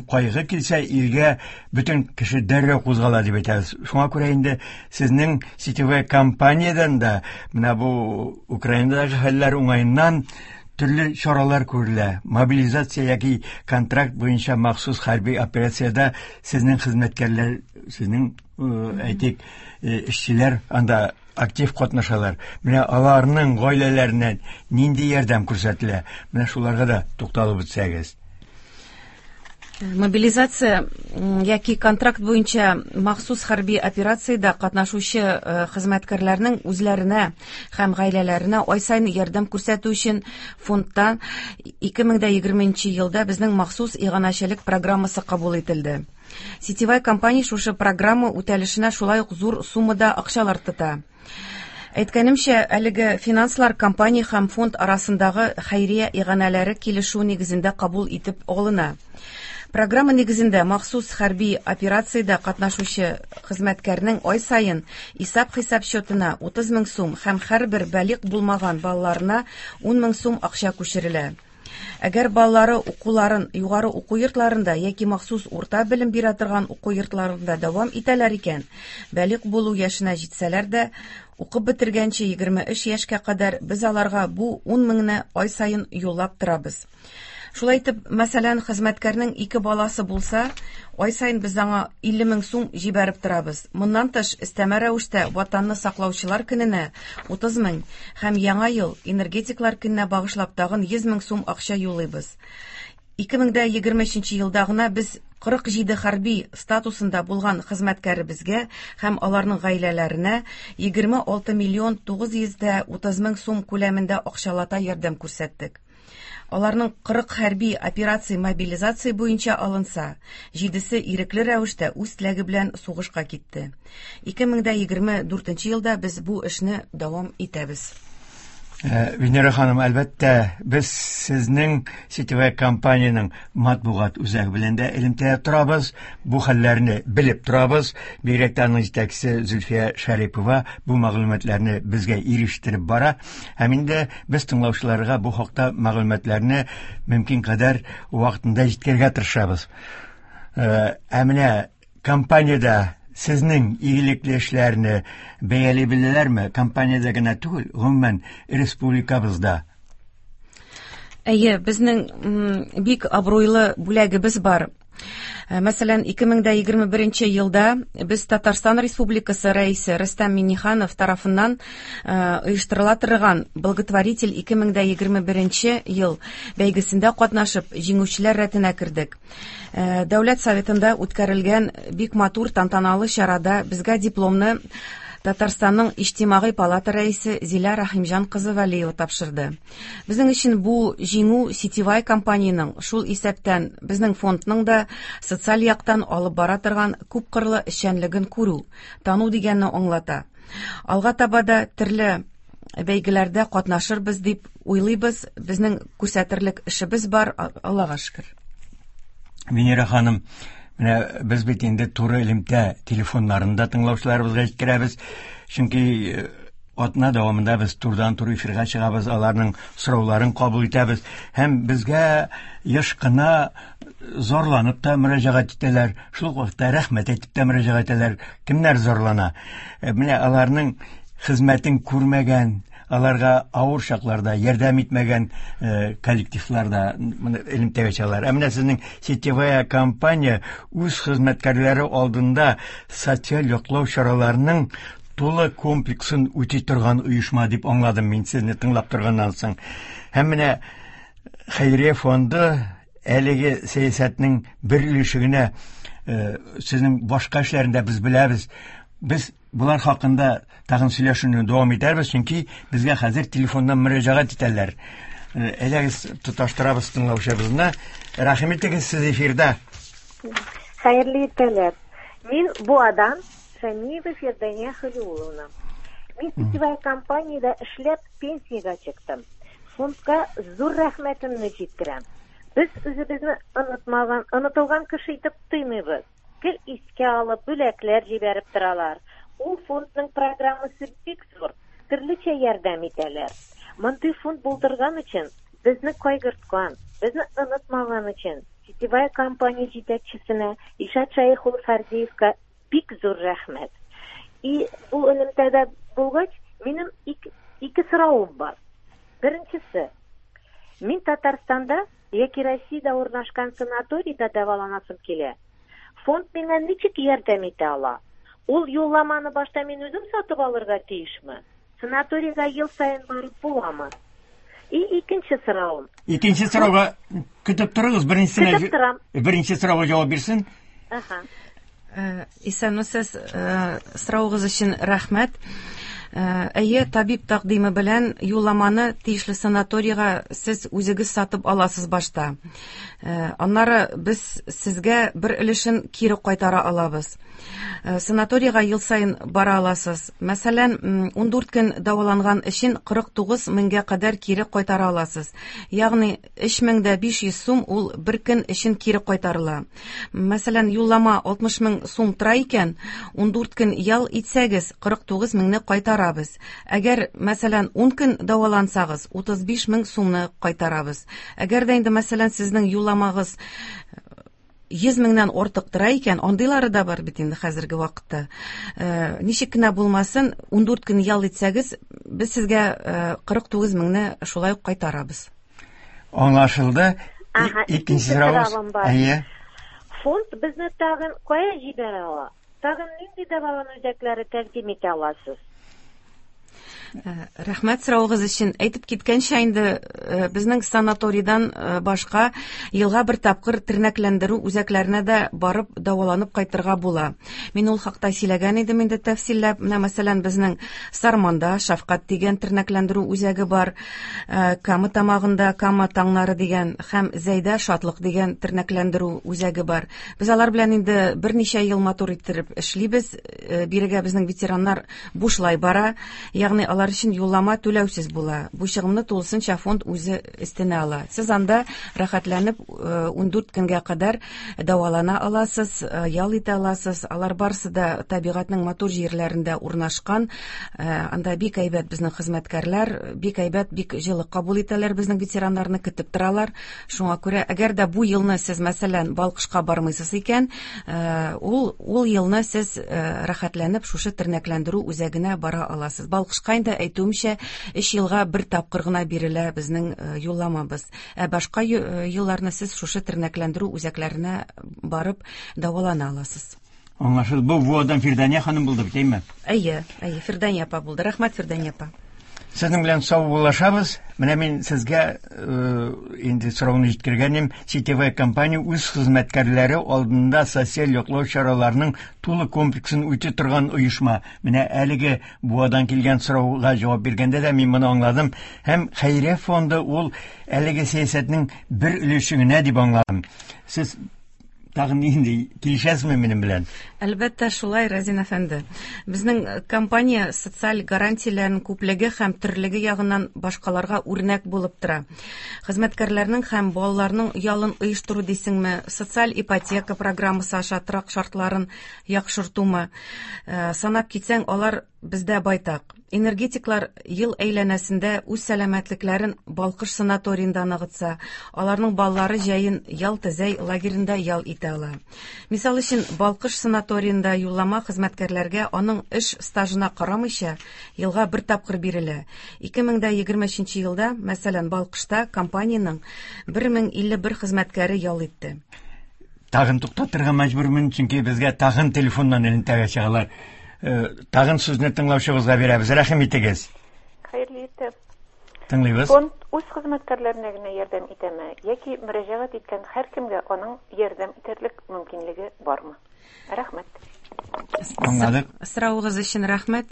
кайгы килсә, илгә бөтен кеше дәррәү кузгала дип әйтәбез. Шуңа күрә инде сезнең сетевой компаниядән дә менә бу Украинадагы хәлләр уңаеннан төрле чаралар күрелә. Мобилизация яки контракт буенча махсус хәрби операциядә сезнең хезмәткәрләр, сезнең әйтик, эшчеләр анда актив катнашалар. Менә аларның гаиләләренә нинди ярдәм күрсәтелә? Менә шуларга да тукталып үтсәгез. Мобилизация яки контракт буенча махсус хәрби операциядә катнашучы хезмәткәрләрнең үзләренә һәм гаиләләренә ай саен ярдәм күрсәтү өчен фондта 2020 елда безнең махсус иганәчелек программасы кабул ителде. Сетевая компания шушы программа үтәлешенә шулай ук зур суммада акчалар тота. Әйткәнемчә, әлеге финанслар компания һәм фонд арасындагы хәйрия иганәләре килешү нигезендә кабул итеп алына. Программа нигезендә махсус хәрби операциядә катнашучы хезмәткәрнең ай саен исәп-хисап счетына 30 мең сум һәм һәрбер балигъ булмаган балаларына 10 мең сум акча күчерелә. Әгәр балалары укуларын югары уку йортларында яки махсус урта белем бирә торган уку йортларында дәвам итәләр икән, балигъ булу яшенә җитсәләр дә, укып бетергәнче 23 яшькә кадәр без аларга бу 10 меңне ай саен юллап торабыз. Шулай итеп, мәсәлән, хезмәткәрнең 2 баласы булса, ай саен без аңа 50 мең сум җибәреп торабыз. Моннан тыш, өстәмә рәвештә Ватанны саклаучылар көненә 30 мең һәм Яңа ел энергетиклар көненә багышлап тагын 100 мең сум акча юллыйбыз. 2023 елда гына без 47 хәрби статусында булган хезмәткәребезгә һәм аларның гаиләләренә 26 миллион 930 мең сум күләмендә акчалата ярдәм күрсәттек. Аларның 40 хәрби операция мобилизация буенча алынса, 7-се ирекле рәвештә үз теләге белән сугышка китте. 2024 елда без бу эшне дәвам итәбез. Венера ханым, әлбәттә, без сезнең сетевая компаниянең матбугат үзәге белән дә элемтәдә торабыз, бу хәлләрне белеп торабыз. Бигрәк тә аның җитәкчесе Зөлфия Шәрипова бу мәгълүматларны безгә ирештереп бара. Һәм инде без тыңлаучыларга бу хакта мәгълүматларны мөмкин кадәр вакытында җиткерергә тырышабыз. Ә менә компаниядә сезнең игелекле эшләрне бәяли беләләрме? Компаниядә генә түгел, гомумән республикабызда. Әйе, безнең бик абруйлы бүләгебез бар. Мәсәлән, 2021 елда без Татарстан Республикасы Рәисе Рөстәм Миңнеханов тарафыннан оештырыла торган Благотворитель 2021 ел бәйгесендә катнашып, җиңүчеләр рәтенә кердек. Дәүләт Советында үткәрелгән бик матур тантаналы чарада безгә дипломны Татарстанның Иҗтимагый палата рәисе Зилә Рәхимҗан кызы Вәлиева тапшырды. Безнең өчен бу җиңү сетевая компаниянең, шул исәптән безнең фондның да социаль яктан алып бара торган күпкырлы эшчәнлеген күрү, тану дигәнне аңлата. Алга таба да төрле бәйгеләрдә катнашырбыз дип уйлыйбыз. Безнең күрсәтерлек эшебез бар, Аллага шөкер. Венера ханым, менә без бит инде туры элемтә телефоннарын да тыңлаучыларыбызга җиткерәбез. Чөнки э, атна дәвамында без турыдан-туры эфирга чыгабыз, аларның сорауларын кабул итәбез һәм безгә еш кына зарланып та мөрәҗәгать итәләр, шул ук вакытта рәхмәт әйтеп тә мөрәҗәгать итәләр. Кемнәр зарлана? Э, менә аларның хезмәтен күрмәгән, аларга авыр чакларда ярдәм итмәгән э, коллективлар да элемтәгә чыгалар. Ә менә сезнең сетевая компания үз хезмәткәрләре алдында социаль яклау чараларының тулы комплексын үти торган оешма дип аңладым мин сезне тыңлап торганнан соң. Һәм менә хәйрия фонды әлеге сәясәтнең бер өлеше генә э, сезнең башка эшләрендә без беләбез. Без болар хакында тагын сөйләшүне дәвам итәрбез, чөнки безгә хәзер телефоннан мөрәҗәгать итәләр. Э, әйдәгез, тоташтырабыз тыңлаучыбызны. Рәхим итегез, сез эфирда. Хәерле иртәләр. Мин Буадан Шәмиева Фирдания Халиулловна. Мин сетевая компаниядә эшләп пенсиягә чыктым. Фондка зур рәхмәтемне җиткерәм. Без үзебезне онытмаган, онытылган кеше итеп тоймыйбыз. Гел искә алып, бүләкләр җибәреп торалар. Ул фондның программасы бик зур, төрлечә ярдәм итәләр. Мондый фонд булдырган өчен, безне кайгырткан, безне онытмаган өчен сетевая компания җитәкчесенә Илшат Шәех улы Фәрдиевка бик зур рәхмәт. И бу элемтәдә булгач, минем ике, ике соравым бар. Беренчесе, мин Татарстанда яки Россиядә урнашкан санаторийда дәваланасым килә. Фонд миңа ничек ярдәм итә ала? Ул юлламаны башта мин үзем сатып алырга тиешме? Санаторийга ел саен барып буламы? И икенче соравым. Икенче сорауга көтеп торыгыз, беренчесенә Көтеп торам. Беренче сорауга җавап бирсен. Аха. Э, исәнмесез, э, соравыгыз өчен рәхмәт. Э, әйе, табиб тәкъдиме белән юлламаны тиешле санаторийга сез үзегез сатып аласыз башта. Аннары без сезгә бер өлешен кире кайтара алабыз. Санаторийга ел саен бара аласыз. Мәсәлән, 14 көн дәваланган өчен 49 меңгә кадәр кире кайтара аласыз. Ягъни 3500 сум ул бер көн өчен кире кайтарыла. Мәсәлән, юллама 60 мең сум тора икән, 14 көн ял итсәгез, 49 меңне кайтарабыз. Әгәр, мәсәлән, 10 көн дәвалансагыз, 35 мең сумны кайтарабыз. Әгәр дә инде, мәсәлән, сезнең юлламагыз 100 меңнән артык тора икән, андыйлары да бар бит инде хәзерге вакытта. Э, ничек кенә булмасын, 14 көн ял итсәгез, без сезгә 49 э, меңне шулай ук кайтарабыз. Аңлашылды. Ага, икенче соравым бар. Әйе. Фонд безне тагын кая җибәрә ала? Тагын нинди дәвалану үзәкләре тәкъдим итә аласыз? Э, рәхмәт соравыгыз өчен. Әйтеп киткәнчә инде э, безнең санаторийдан э, башка елга бер тапкыр тернәкләндерү үзәкләренә дә барып дәваланып кайтырга була. Мин ул хакта сөйләгән идем инде тәфсилләп. Менә мәсәлән, безнең Сарманда Шәфкать дигән тернәкләндерү үзәге бар. Кама Тамагында Кама таңнары дигән һәм Зәйдә Шатлык дигән тернәкләндерү үзәге бар. Без алар белән инде берничә ел матур иттереп эшлибез. Бирегә безнең ветераннар бушлай бара, ягъни алар өчен юллама түләүсез була. Бу чыгымны тулысынча фонд үзе өстенә ала. Сез анда рәхәтләнеп 14 э, көнгә кадәр дәвалана аласыз, э, ял итә аласыз. Алар барысы да табигатьнең матур җирләрендә урнашкан. Э, анда бик әйбәт безнең хезмәткәрләр, бик әйбәт, бик җылы кабул итәләр безнең ветераннарны, көтеп торалар. Шуңа күрә, әгәр дә бу елны сез, мәсәлән, Балкышка бармыйсыз икән, э, ул ул елны сез э, рәхәтләнеп шушы тернәкләндерү үзәгенә бара аласыз. Балкышка инде инде әйтүемчә, 3 елга бер тапкыр гына бирелә безнең юлламабыз. Ә башка елларны сез шушы тернәкләндерү үзәкләренә барып дәвалана аласыз. Аңлашылды. Бу Буадан Фирдания ханым булды бит, әйме? Әйе, әйе, Фирдания апа булды. Рәхмәт, Фирдания апа. Сезнең белән саубуллашабыз. Менә мин сезгә инде сорауны җиткергәнем, сетевая компания үз хезмәткәрләре алдында социаль яклау чараларының тулы комплексын үти торган оешма. Менә әлеге Буадан килгән сорауга җавап биргәндә дә мин моны аңладым. Һәм хәйрия фонды ул әлеге сәясәтнең бер өлеше генә дип аңладым. Сез тагын нинди килешәсезме минем белән? Әлбәттә, шулай, Разин әфәнде. Безнең компания социаль гарантияләрнең күплеге һәм төрлеге ягыннан башкаларга үрнәк булып тора. Хезмәткәрләрнең һәм балаларның ялын оештыру дисеңме, социаль ипотека программасы аша торак шартларын яхшыртумы, санап китсәң, алар бездә байтак. Энергетиклар ел әйләнәсендә үз сәламәтлекләрен Балкыш санаториенда ныгытса, аларның балалары җәен Ялта-Зәй лагеренда ял итә ала. Мисал өчен, Балкыш санаториенда юллама хезмәткәрләргә аның эш стажына карамыйча елга бер тапкыр бирелә. 2023 елда, мәсәлән, Балкышта компаниянең 1051 хезмәткәре ял итте. Тагын туктатырга мәҗбүрмен, чөнки безгә тагын телефоннан элемтәгә чыгалар. Тагын сүзне тыңлаучыбызга бирәбез. Рәхим итегез. Хәерле иртә. Тыңлыйбыз. Фонд үз хезмәткәрләренә генә ярдәм итәме яки мөрәҗәгать иткән һәркемгә аның ярдәм итәрлек мөмкинлеге бармы? Рәхмәт. Аңладык. Соравыгыз өчен рәхмәт.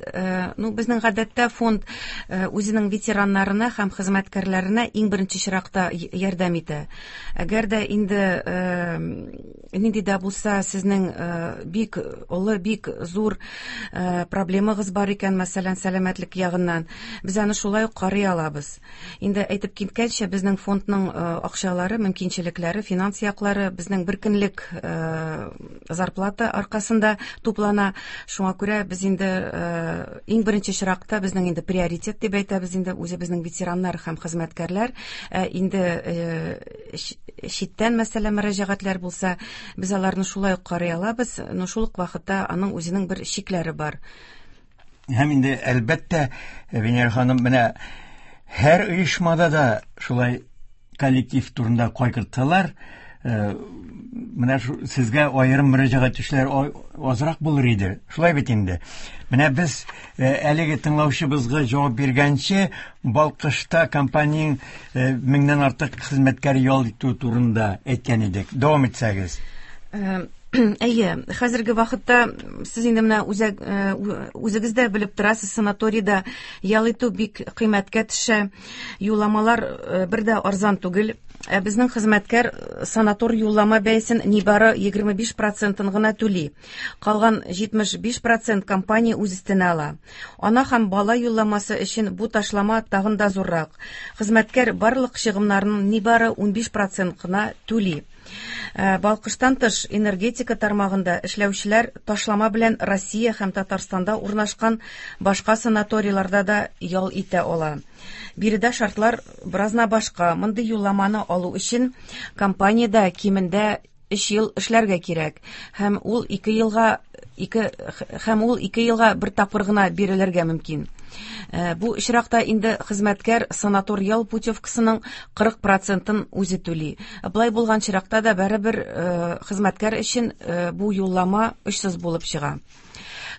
Ну, безнең гадәттә фонд үзенең ветераннарына һәм хезмәткәрләренә иң беренче чиратта ярдәм итә. Әгәр дә инде нинди дә булса сезнең бик олы, бик зур проблемагыз бар икән, мәсәлән, сәламәтлек ягыннан, без аны шулай ук карый алабыз. Инде әйтеп киткәнчә, безнең фондның акчалары, мөмкинчелекләре, финанс яклары безнең бер көнлек зарплата аркасында туплана. Шуңа күрә без инде иң беренче чиратта безнең инде приоритет дип әйтәбез инде үзебезнең ветераннар һәм хезмәткәрләр. Инде читтән мәсәлән мөрәҗәгатьләр булса, без аларны шулай ук карый алабыз, но шул ук вакытта аның үзенең бер чикләре бар. Һәм инде әлбәттә, Венера ханым, менә һәр оешмада да шулай коллектив турында кайгыртсалар, менә сезгә аерым мөрәҗәгать итүчеләр азрак булыр иде. Шулай бит инде. Менә без әлеге тыңлаучыбызга җавап биргәнче, Балкышта компаниянең меңнән артык хезмәткәр ял итү турында әйткән идек. Дәвам итсәгез. Әйе, хәзерге вакытта сез инде менә үзегез дә белеп торасыз, санаторийда ял итү бик кыйммәткә төшә. Юлламалар бер дә арзан түгел. Ә безнең хезмәткәр санатор юллама бәясен нибары 25% гына түли. Калган 75% компания үз өстенә ала. Ана һәм бала юлламасы өчен бу ташлама тагын да зуррак. Хезмәткәр барлык чыгымнарның нибары 15% гына түли. Балкыштан тыш, энергетика тармагында эшләүчеләр ташлама белән Россия һәм Татарстанда урнашкан башка санаторийларда да ял итә ала. Биредә шартлар беразна башка. Мондый юлламаны алу өчен компаниядә кимендә 3 ел эшләргә кирәк. Һәм ул 2 елга һәм ул 2 елга бер тапкыр гына бирелергә мөмкин. Бу очракта инде хезмәткәр санатор ял путевкасының 40%-ын үзе түли. Болай булган очракта да барыбер хезмәткәр өчен бу юллама очсыз булып чыга.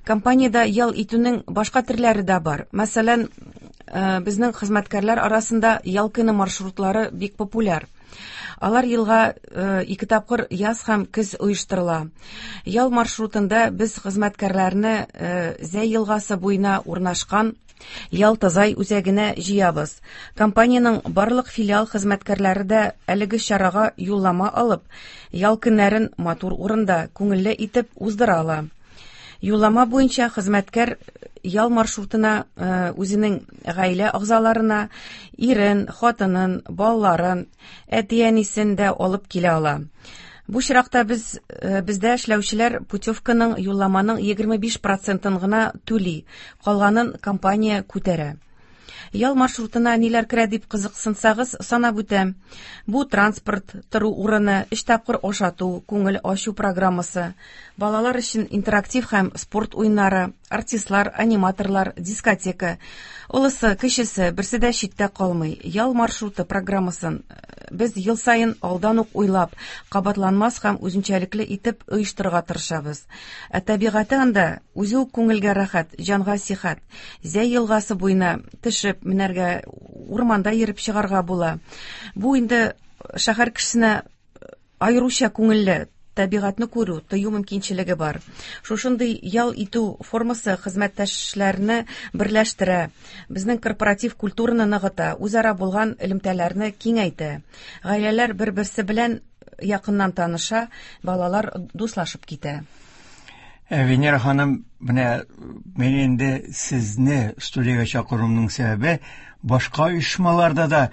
Компаниядә ял итүнең башка төрләре дә бар. Мәсәлән, безнең хезмәткәрләр арасында ял көне маршрутлары бик популяр. Алар елга 2 тапкыр яз һәм көз оештырыла. Ял маршрутында без хезмәткәрләрне Зәй елгасы буена урнашкан Ялтазай үзәгенә җыябыз. Компаниянең барлык филиал хезмәткәрләре дә әлеге чарага юллама алып, ял көннәрен матур урында, күңелле итеп уздыра ала. Юллама буенча хезмәткәр ял маршрутына үзенең гаилә әгъзаларына, ирен, хатынын, балаларын, әти-әнисен дә алып килә ала. Бу очракта бездә эшләүчеләр путевканың, юлламаның 25%-ын гына түли, калганын компания күтәрә. Ял маршрутына ниләр керә дип кызыксынсагыз, санап үтәм. Бу транспорт, тору урыны, өч тапкыр ашату, күңел ачу программасы, балалар өчен интерактив һәм спорт уеннары, артистлар, аниматорлар, дискотека. Олысы, кечесе, берсе дә читтә калмый. Ял маршруты программасын без ел саен алдан ук уйлап, кабатланмас һәм үзенчәлекле итеп оештырырга тырышабыз. Ә табигате анда үзе үк күңелгә рәхәт, җанга сихәт. Зәй елгасы буена төшеп, менәргә, урманда йөреп чыгарга була. Бу инде шәһәр кешесенә аеруча күңелле, табигатьне күрү, тою мөмкинчелеге бар. Шушындый ял итү формасы хезмәттәшләрне берләштерә, безнең корпоратив культураны ныгыта, үзара булган элемтәләрне киңәйтә. Гаиләләр бер-берсе белән якыннан таныша, балалар дуслашып китә. Венера ханым, менә мин инде сезне студиягә чакыруымның сәбәбе башка оешмаларда да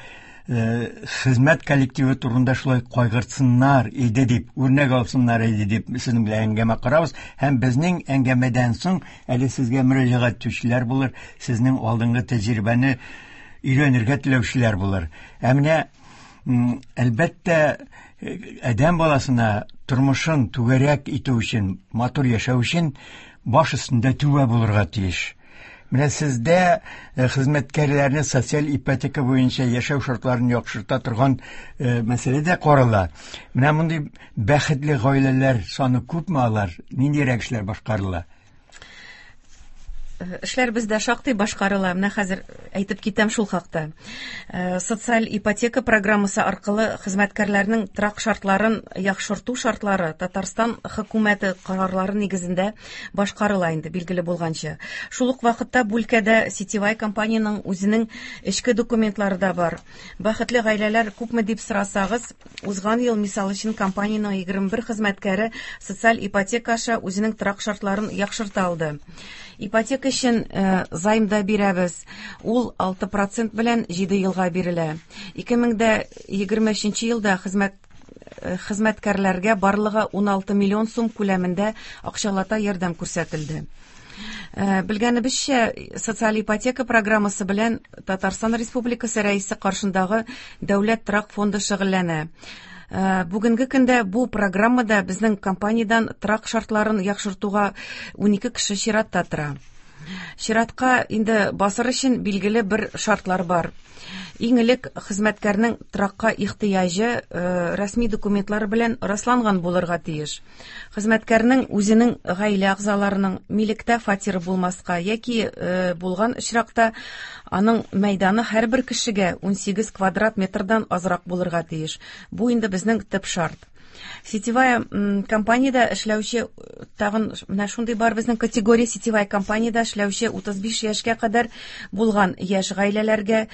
хезмәт коллективы турында шулай кайгыртсыннар иде дип, үрнәк алсыннар иде дип сезнең белән әңгәмә корабыз һәм безнең әңгәмәдән соң әле сезгә мөрәҗәгать итүчеләр булыр, сезнең алдынгы тәҗрибәне өйрәнергә теләүчеләр булыр. Ә менә әлбәттә, адәм баласына тормышын түгәрәк итү өчен, матур яшәү өчен баш өстендә түбә булырга тиеш. Менә сездә хезмәткәрләрне социаль ипотека буенча яшәү шартларын яхшырта торган мәсьәлә дә карала. Менә мондый бәхетле гаиләләр саны күпме алар? Ниндирәк эшләр башкарыла? Эшләр бездә шактый башкарыла. Менә хәзер әйтеп китәм шул хакта. Социаль ипотека программасы аркылы хезмәткәрләрнең торак шартларын яхшырту шартлары Татарстан хөкүмәте карарлары нигезендә башкарыла инде, билгеле булганча. Шул ук вакытта бу өлкәдә сетевая компаниянең үзенең эчке документлары да бар. Бәхетле гаиләләр күпме дип сорасагыз, узган ел, мисал өчен, компаниянең 21 хезмәткәре социаль ипотека аша үзенең торак шартларын яхшырта алды. Ипотека өчен займ да бирәбез. Ул 6% белән 7 елга бирелә. 2023 елда хезмәткәрләргә барлыгы 16 миллион сум күләмендә акчалата ярдәм күрсәтелде. Белгәнебезчә, социаль ипотека программасы белән Татарстан Республикасы Рәисе каршындагы Дәүләт торак фонды шөгыльләнә. Бүгенге көндә бу программада безнең компаниядән торак шартларын яхшыртуга 12 кеше чиратта тора. Чиратка инде басыр өчен билгеле бер шартлар бар. Иң элек хезмәткәрнең торакка ихтыяҗы рәсми документлар белән расланган булырга тиеш. Хезмәткәрнең үзенең гаилә әгъзаларының милектә фатиры булмаска яки булган очракта аның мәйданы һәрбер кешегә 18 квадрат метрдан азрак булырга тиеш. Бу инде безнең төп шарт. Сетевая компаниядә эшләүче тагын менә шундый бар безнең категория сетевая компаниядә эшләүче 35 яшькә кадәр булган яшь гаиләләргә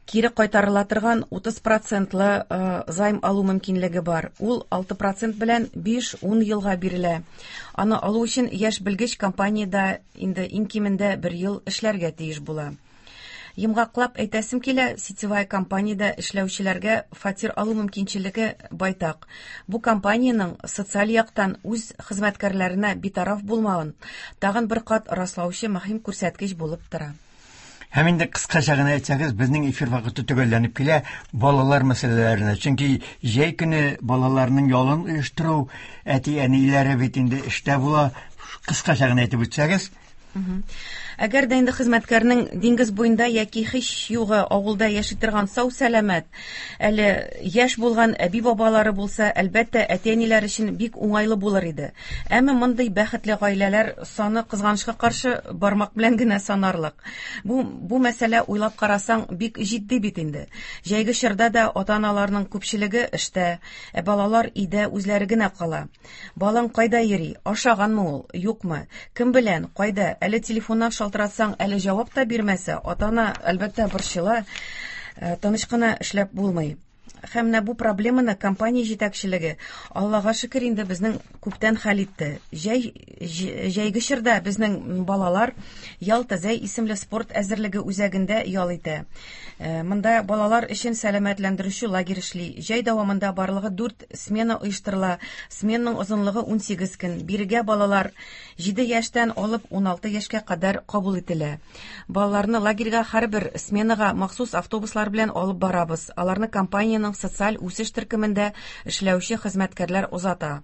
кире кайтарыла торган 30% займ алу мөмкинлеге бар. Ул 6% белән 5-10 елга бирелә. Аны алу өчен яшь белгеч компаниядә инде иң кимендә бер ел эшләргә тиеш була. Йомгаклап әйтәсем килә, сетевая компаниядә эшләүчеләргә фатир алу мөмкинчелеге байтак. Бу компаниянең социаль яктан үз хезмәткәрләренә битараф булмавын тагын бер кат раслаучы мөһим күрсәткеч булып тора. Һәм инде кыскача гына әйтсәгез, безнең эфир вакыты төгәлләнеп килә балалар мәсьәләләренә. Чөнки җәй көне балаларның ялын оештыру, әти-әниләре бит инде эштә була. Кыскача гына әйтеп үтсәгез. Әгәр дә инде хезмәткәрнең диңгез буенда яки һич югы авылда яши торган сау-сәламәт, әле яшь булган әби-бабалары булса, әлбәттә, әти-әниләр өчен бик уңайлы булыр иде. Әмма мондый бәхетле гаиләләр саны кызганычка каршы бармак белән генә санарлык. Бу мәсьәлә уйлап карасаң бик җитди бит инде. Җәйге чорда да ата-аналарның күпчелеге эштә, ә балалар өйдә үзләре генә кала. Балаң кайда йөри? Ашаганмы ул? Юкмы? Кем белән? Кайда? Әле телефоннан шалтыратсаң, әле җавап та бирмәсә, ата-ана, әлбәттә, борчыла. Тыныч кына эшләп булмый. Һәм менә бу проблеманы компания җитәкчелеге, Аллага шөкер, инде безнең күптән хәл итте. Җәй җәйге чорда безнең балалар Ялта-Зәй исемле спорт әзерлеге үзәгендә ял итә. Э, монда балалар өчен сәламәтләндерүче лагерь эшли. Җәй дәвамында барлыгы 4 смена оештырыла. Сменаның озынлыгы 18 көн. Бирегә балалар 7 яшьтән алып 16 яшькә кадәр кабул ителә. Балаларны лагерьга һәрбер сменага махсус автобуслар белән алып барабыз. Аларны компаниянең социаль үсеш төркемендә эшләүче хезмәткәрләр озата.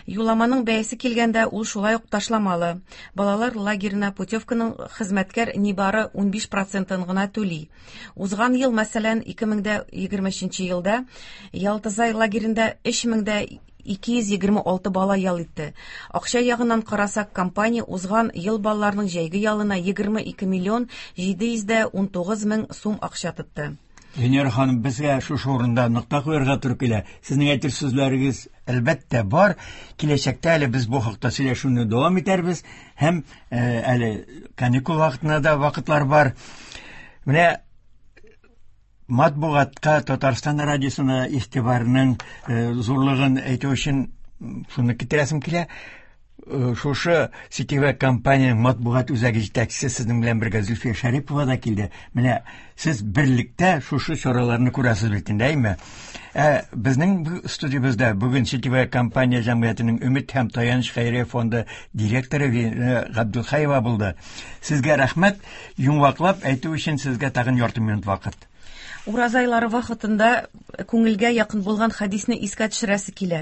Юлламаның бәясе килгәндә, ул шулай ук ташламалы. Балалар лагерена путевканың хезмәткәр нибары 15 процентын гына түли. Узган ел, мәсәлән, 2023 елда Ялтызай лагеренда 3226 бала ял итте. Акча ягыннан карасак, компания узган ел балаларның җәйге ялына 22 миллион 719 мең сум акча тотты. Венера ханым, безгә шушы урында нокта куярга туры килә. Сезнең әйтер сүзләрегез, әлбәттә, бар. Киләчәктә әле без бу хакта сөйләшүне дәвам итәрбез һәм э, әле каникул вакытына да вакытлар бар. Менә матбугатка, Татарстан радиосына игътибарның э, зурлыгын әйтү өчен шуны китерәсем килә. Э, шушы сетевая компанияның матбугат үзәге җитәкчесе сезнең белән бергә Зөлфия Шәрипова да килде. Менә сез берлектә шушы чараларны күрәсез бит инде, әйме? Ә безнең студиябездә бүген сетевая компания җәмгыятенең Өмет һәм таяныч хәйрия фонды директоры Венера Габдулхаева булды. Сезгә рәхмәт. Йомгаклап әйтү өчен сезгә тагын ярты минут вакыт. Ураза айлары вакытында күңелгә якын булган хәдисне искә төшерәсе килә.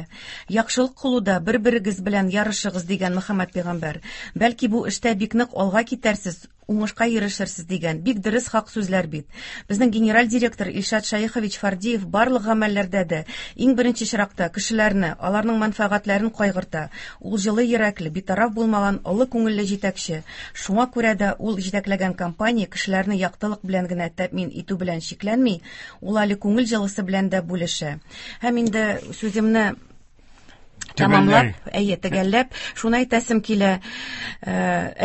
Яхшылык кылуда бер-берегез белән ярышыгыз, дигән Мөхәммәд пәйгамбәр. Бәлки бу эштә бик нык алга китәрсез, уңышка ирешерсез, дигән. Бик дөрес хак сүзләр бит. Безнең генераль директор Илшат Шәехович Фардиев барлык гамәлләрдә дә иң беренче чиракта кешеләрне, аларның мәнфәгатьләрен кайгырта. Ул җылы йөрәкле, битараф булмаган олы күңелле җитәкче. Шуңа күрә дә ул җитәкләгән компания кешеләрне яктылык белән генә тәэмин итү белән чикләнми, ул әле күңел җылысы белән дә бүлешә. Һәм инде сүземне тәмамлап, әйе, төгәлләп, шуны әйтәсем килә, э,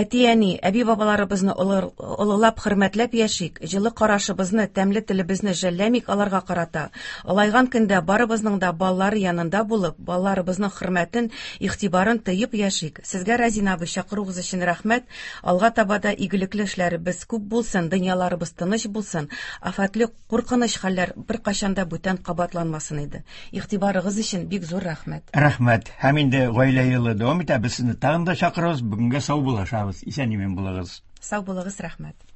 әти-әни, әби-бабаларыбызны олылап, хөрмәтләп яшик, җылы карашыбызны, тәмле телебезне жәлләмик аларга карата. Олайган көндә барыбызның да балалары янында булып, балаларыбызның хөрмәтен, игътибарын тоеп яшик. Сезгә, Разин абый, чакыруыгыз өчен рәхмәт. Алга таба да игелекле эшләребез күп булсын, дөньяларыбыз тыныч булсын, афәтле, куркыныч хәлләр беркайчан да бүтән кабатланмасын иде. Игътибарыгыз өчен бик зур рәхмәт. Рәхмәт. Һәм инде гаилә елы дәвам итә. Без сезне тагын да чакырабыз. Бүгенгә саубуллашабыз. Исән-имин булыгыз. Сау булыгыз, рәхмәт.